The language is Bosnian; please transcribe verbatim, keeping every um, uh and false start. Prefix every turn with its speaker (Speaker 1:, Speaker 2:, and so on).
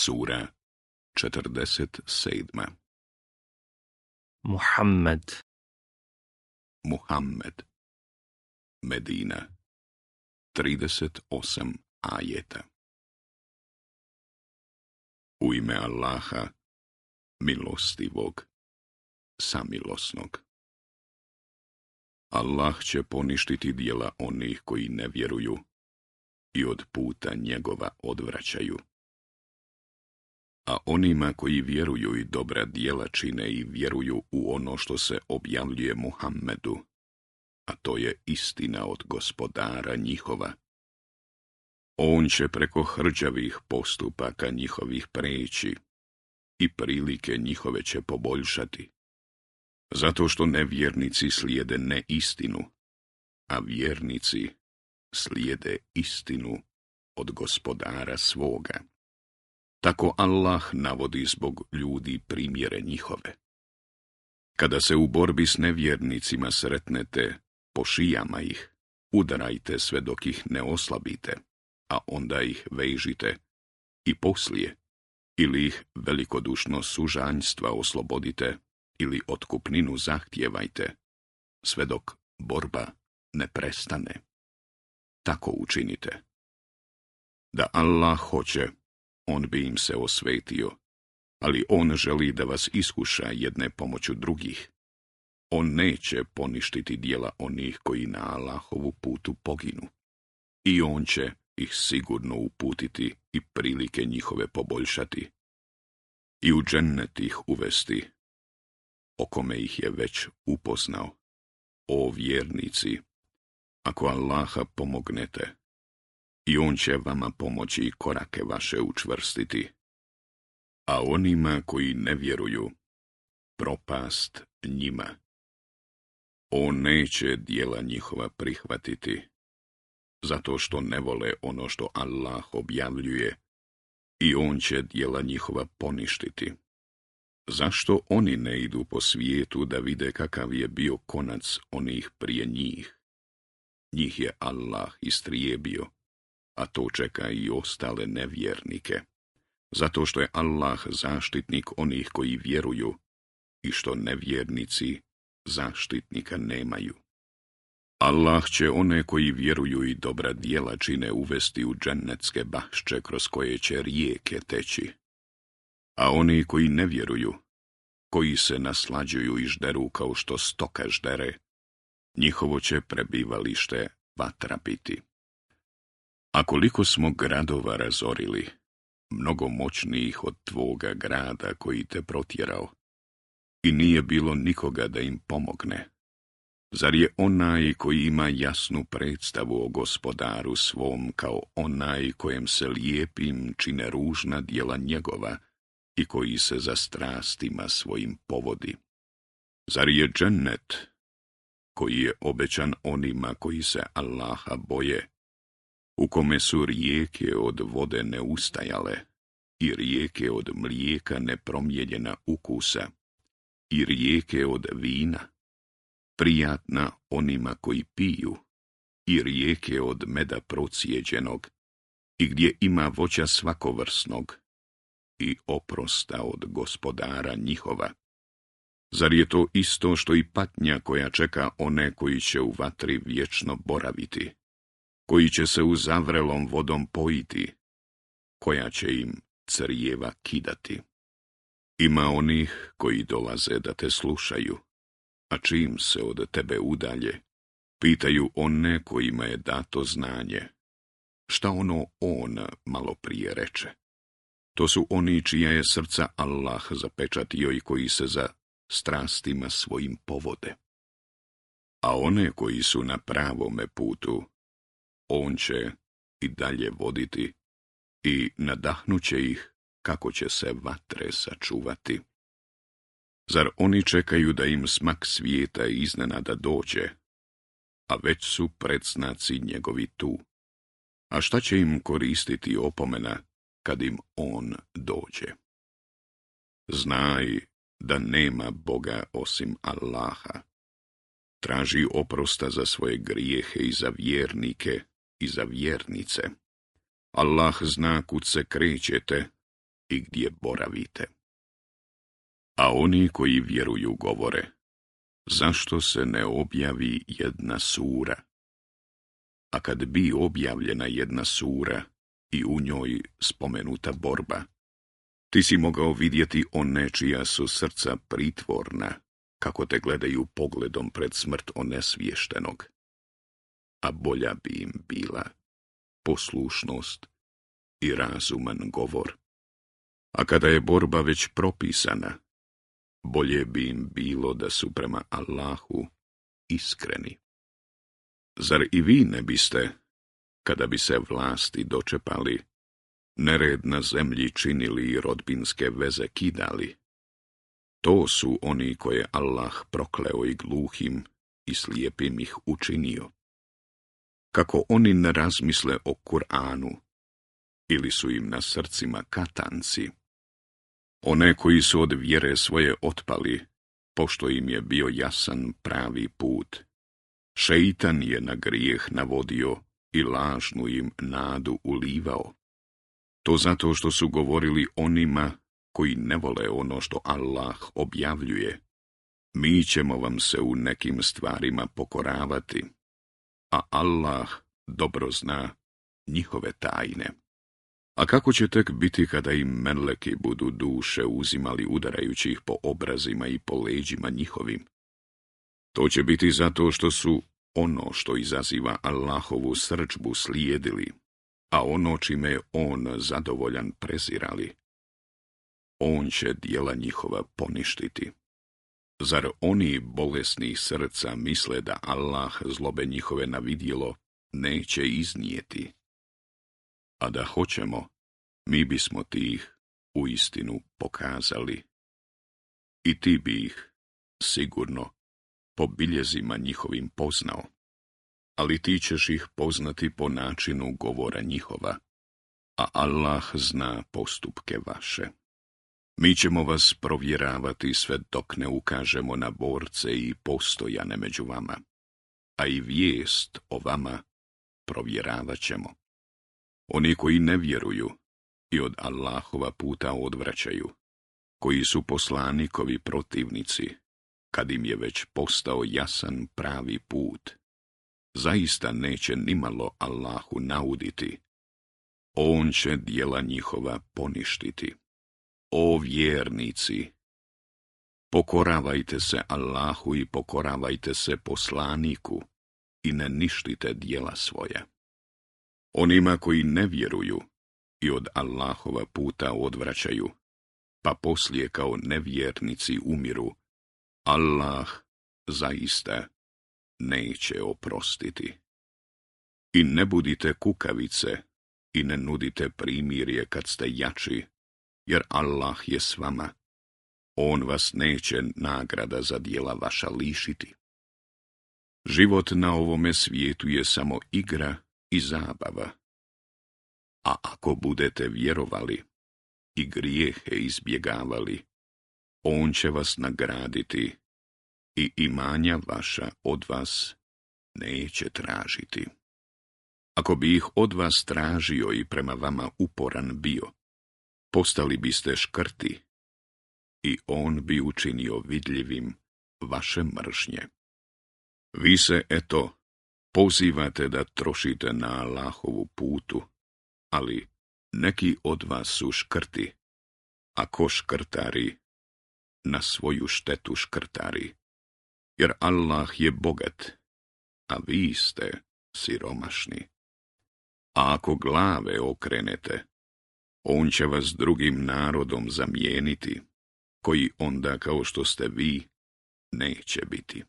Speaker 1: Sura četrdeset sedma.
Speaker 2: Muhammed.
Speaker 1: Muhammed. Medina. trideset osam ajeta. U ime Allaha, milostivog, samilosnog. Allah će poništiti djela onih koji ne vjeruju i od puta njegova odvraćaju. A onima koji vjeruju i dobra djela čine i vjeruju u ono što se objavljuje Muhammedu, a to je istina od gospodara njihova. On će preko hrđavih postupaka njihovih preći i prilike njihove će poboljšati, zato što nevjernici slijede neistinu, a vjernici slijede istinu od gospodara svoga. Tako Allah navodi zbog ljudi primjere njihove. Kada se u borbi s nevjernicima sretnete, po šijama ih, udarajte sve dok ih ne oslabite, a onda ih vežite i poslije, ili ih velikodušno sužanjstva oslobodite, ili otkupninu zahtijevajte, sve dok borba ne prestane. Tako učinite. Da Allah hoće, on bi im se osvetio, ali on želi da vas iskuša jedne pomoću drugih. On neće poništiti djela onih koji na Allahovu putu poginu. I on će ih sigurno uputiti i prilike njihove poboljšati. I u džennet ih uvesti, o kome ih je već upoznao. O vjernici, ako Allaha pomognete, i on će vama pomoći i korake vaše učvrstiti. A onima koji ne vjeruju, propast njima. On neće djela njihova prihvatiti, zato što ne vole ono što Allah objavljuje, i on će djela njihova poništiti. Zašto oni ne idu po svijetu da vide kakav je bio konac onih prije njih? Njih je Allah istrijebio, a to čeka i ostale nevjernike, zato što je Allah zaštitnik onih koji vjeruju i što nevjernici zaštitnika nemaju. Allah će one koji vjeruju i dobra djela čine uvesti u džennetske bašče kroz koje će rijeke teći. A oni koji ne vjeruju, koji se naslađuju i žderu kao što stoka ždere, njihovo će prebivalište vatra biti. A koliko smo gradova razorili, mnogo moćnijih od tvoga grada koji te protjerao, i nije bilo nikoga da im pomogne. Zar je onaj koji ima jasnu predstavu o gospodaru svom kao onaj kojem se lijepim čine ružna djela njegova i koji se za strastima svojim povodi? Zar je džennet, koji je obećan onima koji se Allaha boje, u kome su rijeke od vode neustajale i rijeke od mlijeka nepromijenjena ukusa i rijeke od vina, prijatna onima koji piju, i rijeke od meda procijeđenog, i gdje ima voća svakovrsnog, i oprosta od gospodara njihova? Zar je to isto što i patnja koja čeka one koji će u vatri vječno boraviti, koji će se u zavrelom vodom pojiti, koja će im crijeva kidati? Ima onih koji dolaze da te slušaju, a čim se od tebe udalje, pitaju one kojima je dato znanje, šta ono on malo prije reče. To su oni čija je srca Allah zapečatio i koji se za strastima svojim povode. A one koji su na pravome putu, on će i dalje voditi i nadahnuće ih kako će se vatre sačuvati. Zar oni čekaju da im smak svijeta iznenada dođe, a već su predznaci njegovi tu? A šta će im koristiti opomena kad im on dođe? Znaj da nema Boga osim Allaha. Traži oprosta za svoje grijehe i za vjernike i za vjernice. Allah zna kud se krećete i gdje boravite. A oni koji vjeruju govore, zašto se ne objavi jedna sura? A kad bi objavljena jedna sura i u njoj spomenuta borba, ti si mogao vidjeti one čija su srca pritvorna, kako te gledaju pogledom pred smrt onesviještenog. A bolja bi im bila poslušnost i razuman govor. A kada je borba već propisana, bolje bi im bilo da su prema Allahu iskreni. Zar i vi ne biste, kada bi se vlasti dočepali, nered na zemlji činili i rodbinske veze kidali? To su oni koje Allah prokleo i gluhim i slijepim ih učinio. Kako oni ne razmisle o Kur'anu, ili su im na srcima katanci? One koji su od vjere svoje otpali, pošto im je bio jasan pravi put. Šeitan je na grijeh navodio i lažnu im nadu ulivao. To zato što su govorili onima koji ne vole ono što Allah objavljuje. Mi ćemo vam se u nekim stvarima pokoravati, a Allah dobro zna njihove tajne. A kako će tek biti kada im meleki budu duše uzimali udarajući ih po obrazima i po leđima njihovim? To će biti zato što su ono što izaziva Allahovu srdžbu slijedili, a ono čime je on zadovoljan prezirali. On će djela njihova poništiti. Zar oni bolesni srca misle da Allah zlobe njihove na vidjelo neće iznijeti? A da hoćemo, mi bismo ti ih u istinu pokazali. I ti bi ih, sigurno, po biljezima njihovim poznao, ali ti ćeš ih poznati po načinu govora njihova, a Allah zna postupke vaše. Mi ćemo vas provjeravati sve dok ne ukažemo na borce i postojane među vama, a i vijest o vama provjeravat ćemo. Oni koji ne vjeruju i od Allahova puta odvraćaju, koji su poslanikovi protivnici, kad im je već postao jasan pravi put, zaista neće nimalo Allahu nauditi. On će djela njihova poništiti. O vjernici, pokoravajte se Allahu i pokoravajte se poslaniku i ne ništite djela svoja. Onima koji ne vjeruju i od Allahova puta odvraćaju, pa poslije kao nevjernici umiru, Allah zaista neće oprostiti. I ne budite kukavice i ne nudite primirje kad ste jači, jer Allah je s vama. On vas neće nagrada za djela vaša lišiti. Život na ovome svijetu je samo igra i zabava. A ako budete vjerovali i grijehe izbjegavali, on će vas nagraditi i imanja vaša od vas neće tražiti. Ako bi ih od vas tražio i prema vama uporan bio, postali biste škrti i on bi učinio vidljivim vaše mržnje. Vi se, eto, pozivate da trošite na Allahovu putu, ali neki od vas su škrti, a ko škrtari, na svoju štetu škrtari, jer Allah je bogat, a vi ste siromašni. A ako glave okrenete, on će vas drugim narodom zamijeniti, koji onda kao što ste vi neće biti.